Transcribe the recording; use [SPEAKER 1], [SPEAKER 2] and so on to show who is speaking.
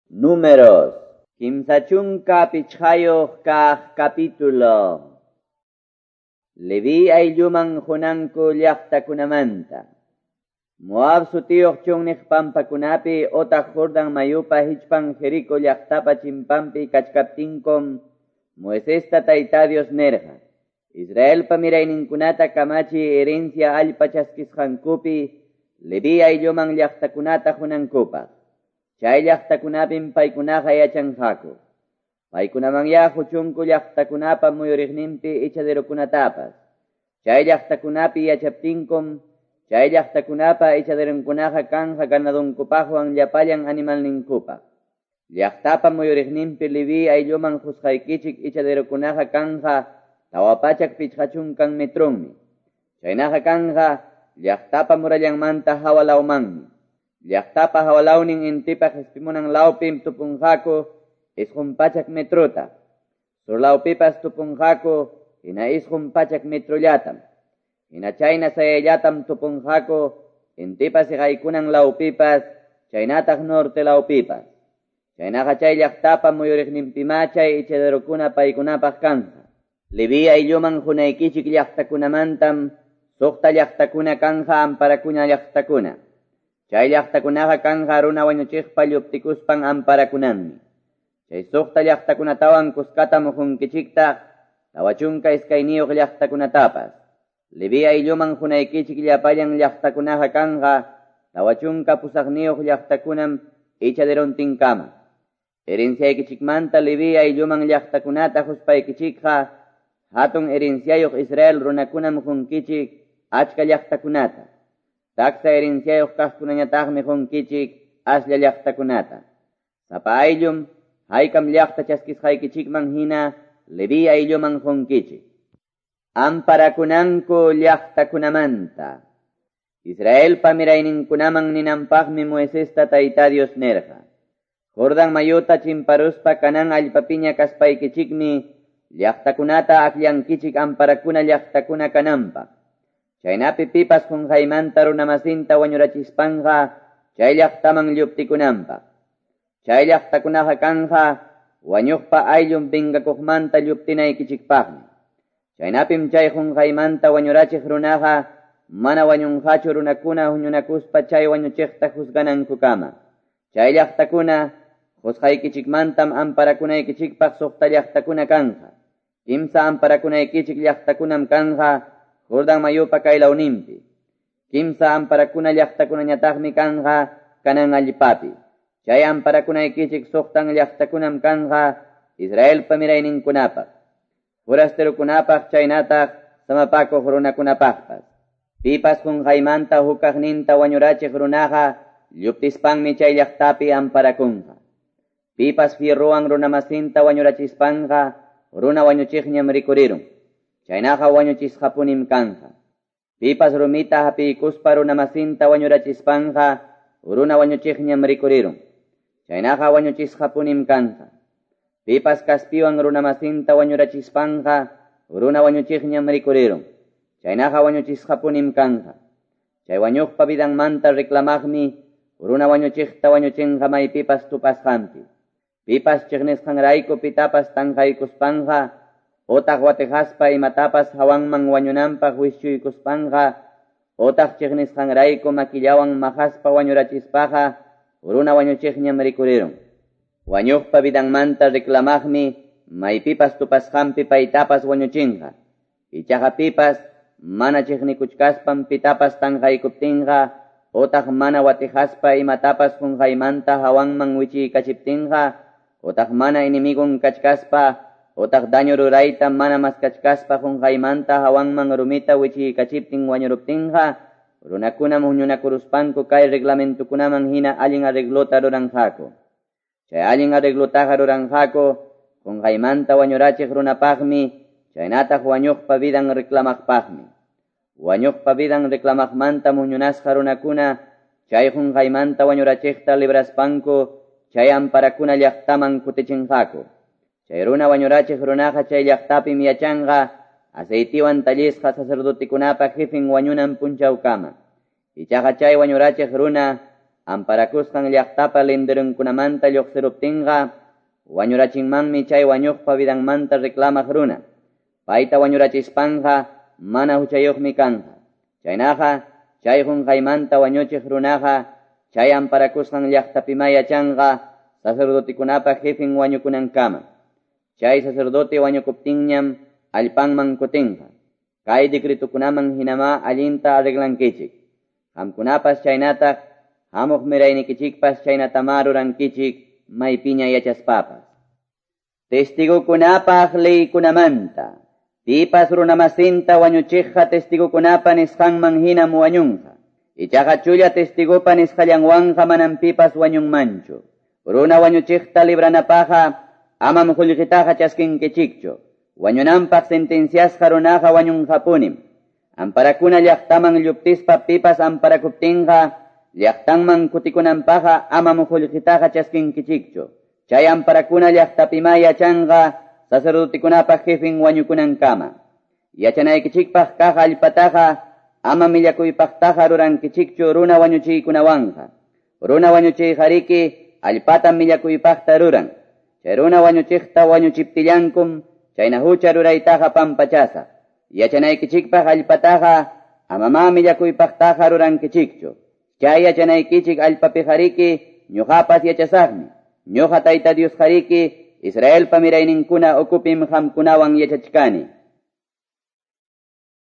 [SPEAKER 1] Números, 35 kaq capítulo. Leví aylluman qunanku llaqtakunamanta. Moab sutiyuq chunniq pampakunapi otaq Jordan mayupa hichpan Jerico llaqtapa chimpampi kachkaptinkum Moisesta Tayta Dios nerqa. Israelpa mirayninkunata kamachi herencia allpa chaskisqankupi Leví aylluman llaqtakunata qunankupaq. Chay llaqtakunapim paykunaqa yachanqaku. Paykunamanya huchunku llaqtakunapa muyuriqninpi ichaderokunatapas. Chay llaqtakunapi yachaptinkum, chay llaqtakunapa ichaderonkunaqa kanja ganadonkupaqwan llapallan animalninkupaq. Llaqtapa muyuriqninpi Leví aylluman qusqaykichik ichaderokunaqa kanja 450 metronmi. Chaynaqa kanja llaqtapa murallanmanta hawalawmanmi. Llaqtapa hawalawnin intipa qispimunan lawpim tupunqaku 900 metrota. Surlawpipas tupunqaku hina 900 metrollatam. Hina chayna sayayllatam tupunqaku intipa siqaykunan lawpipas chaynataq norte lawpipas. Chaynaqa chay llaqtapa muyuriqninpima chay ichaderokuna paykunapaq kanja. Leví aylluman qunaykichik llaqtakunamantam 6 llaqtakuna kanja amparakuna llaqtakuna. Chay llaqtakunaqa kanja runa wañuchiqpa lluptikuspan amparakunanmi. Chay 6 llaqtakunatawan kuskatam qunkichiktaq 42 llaqtakunatapas. Leví aylluman qunaykichik llapallan llaqtakunaqa kanja 48 llaqtakunam ichaderontinkama. Herenciaykichikmanta Leví aylluman llaqtakunata quspaykichikqa hatun herenciayuq Israel runakunam qunkichik achka llaqtakunata. Taksa herenciayuq kaqkunañataqmi qunkichik aslla llaqtakunata. Sapa ayllum haykam llaqta chaskisqaykichikman hina Leví aylluman qunkichik. Amparakunanku llaqtakunamanta. Israelpa mirayninkunaman ninanpaqmi Moisesta Tayta Dios nerqa. Jordan mayuta chimparuspa Canaán allpapiña kaspaykichikmi llaqtakunata akllankichik amparakuna llaqtakuna kananpaq. Chaynapi pipas qunqaymanta runamasinta wañurachispanqa chay llaqtaman lluptikunanpaq. Chay llaqtakunaqa kanja wañuqpa ayllun vengakuqmanta lluptinaykichikpaqmi. Chaynapim chay qunqaymanta wañurachiq runaqa mana wañunqachu runakuna huñunakuspa chay wañuchiqta juzganankukama. Chay llaqtakuna qusqaykichikmantam amparakunaykichikpaq 6 llaqtakuna kanja. 3 amparakunaykichik llaqtakunam kanja Jordan mayupa kaylawninpi. 3 amparakuna llaqtakunañataqmi kanja Canaán allpapi. Chay amparakunaykichik 6 llaqtakunam kanja Israelpa mirayninkunapaq, forasterokunapaq chaynataq samapakuq runakunapaqpas. Pipas qunqaymanta hukaqninta wañurachiq runaqa lluptispanmi chay llaqtapi amparakunqa. Pipas fierrowan runamasinta wañurachispanqa runa wañuchiqñam rikurirun. Chaynaqa wañuchisqapunim kanja. Pipas rumita hapiykuspa runamasinta wañurachispanqa runa wañuchiqñam rikurirun. Chaynaqa wañuchisqapunim kanja. Pipas kaspiwan runamasinta wañurachispanqa runa wañuchiqñam rikurirun. Chaynaqa wañuchisqapunim kanja. Chay wañuqpa vidanmanta reclamaqmi runa wañuchiqta wañuchinqa maypipas tupasqanpi. Pipas chiqnisqanrayku pitapas tanqaykuspanqa otaq watijaspa imatapas hawanman wañunanpaq wischuykuspanqa otaq chiqnisqanrayku makillawan mahaspa wañurachispaqa runa wañuchiqñam rikurirun. Wañuqpa vidanmanta reclamaqmi maypipas tupasqanpi paytapas wañuchinqa. Ichaqa pipas mana chiqnikuchkaspan pitapas tanqaykuptinqa otaq mana watijaspa imatapas qunqaymanta hawanman wichiykachiptinqa otaq mana enemigon kachkaspa otaq daño rurayta mana maskachkaspa qunqaymanta hawanman rumita wichiykachiptin wañuruptinqa runakunam huñunakuruspanku kay reglamentukunaman hina allin arreglota ruranqaku. Chay allin arreglotaqa ruranqaku qunqaymanta wañurachiq runapaqmi chaynataq wañuqpa vidan reclamaqpaqmi. Wañuqpa vidan reclamaqmanta huñunasqa runakuna chay qunqaymanta wañurachiqta libraspanku chay amparakuna llaqtaman kutichinqaku. Chay runa wañurachiq runaqa chay llaqtapim yachanqa aceitiwan tallisqa sacerdotekunapa jefin wañunan punchawkama. Ichaqa chay wañurachiq runa Amparakusqan llaqtapa linderonkunamanta lluqsiruptinqa wañurachinmanmi chay wañuqpa vidanmanta reclamaq runa. Payta wañurachispanqa mana huchayuqmi kanqa. Chaynaqa chay qunqaymanta wañuchiq runaqa chay amparakusqan llaqtapima yachanqa sacerdotekunapa jefen wañukunankama. Chay sacerdote wañukuptinñam allpanman kutinqa. Kay decretokunaman hinama allinta arreglankichik. Qamkunapas chaynataq hamuq miraynikichikpas chaynatama rurankichik maypiña yachaspapas. Testigokunapaq leykunamanta. Pipas runamasinta wañuchiqqa testigokunapa nisqanman hinam wañunqa. Ichaqa chulla testigopa nisqallanwanqa manam pipas wañunmanchu. Runa wañuchiqta libranapaqqa amam qullqitaqa chaskinkichikchu. Wañunanpaq sentenciasqa runaqa wañunqapunim. Amparakuna llaqtaman lluptispa pipas amparakuptinqa llaqtanman kutikunanpaqqa amam qullqitaqa chaskinkichikchu. Chay amparakuna llaqtapima yachanqa sacerdotekunapa jefen wañukunankama. Yachanaykichikpaq kaq allpataqa ama millakuypaqtaqa rurankichikchu runa wañuchiykunawanqa. Runa wañuchiyqariki allpatam millakuypaqta ruran. Chay runa wañuchiqta wañuchiptillankum chayna hucha ruraytaqa pampachasaq. Yachanaykichikpaq allpataqa amama millakuypaqtaqa rurankichikchu. Chay yachanaykichik allpapiqariki ñuqapas yachasaqmi. Ñuqa Tayta Diosqariki Israelpa mirayninkuna ukupim qamkunawan yachachkani.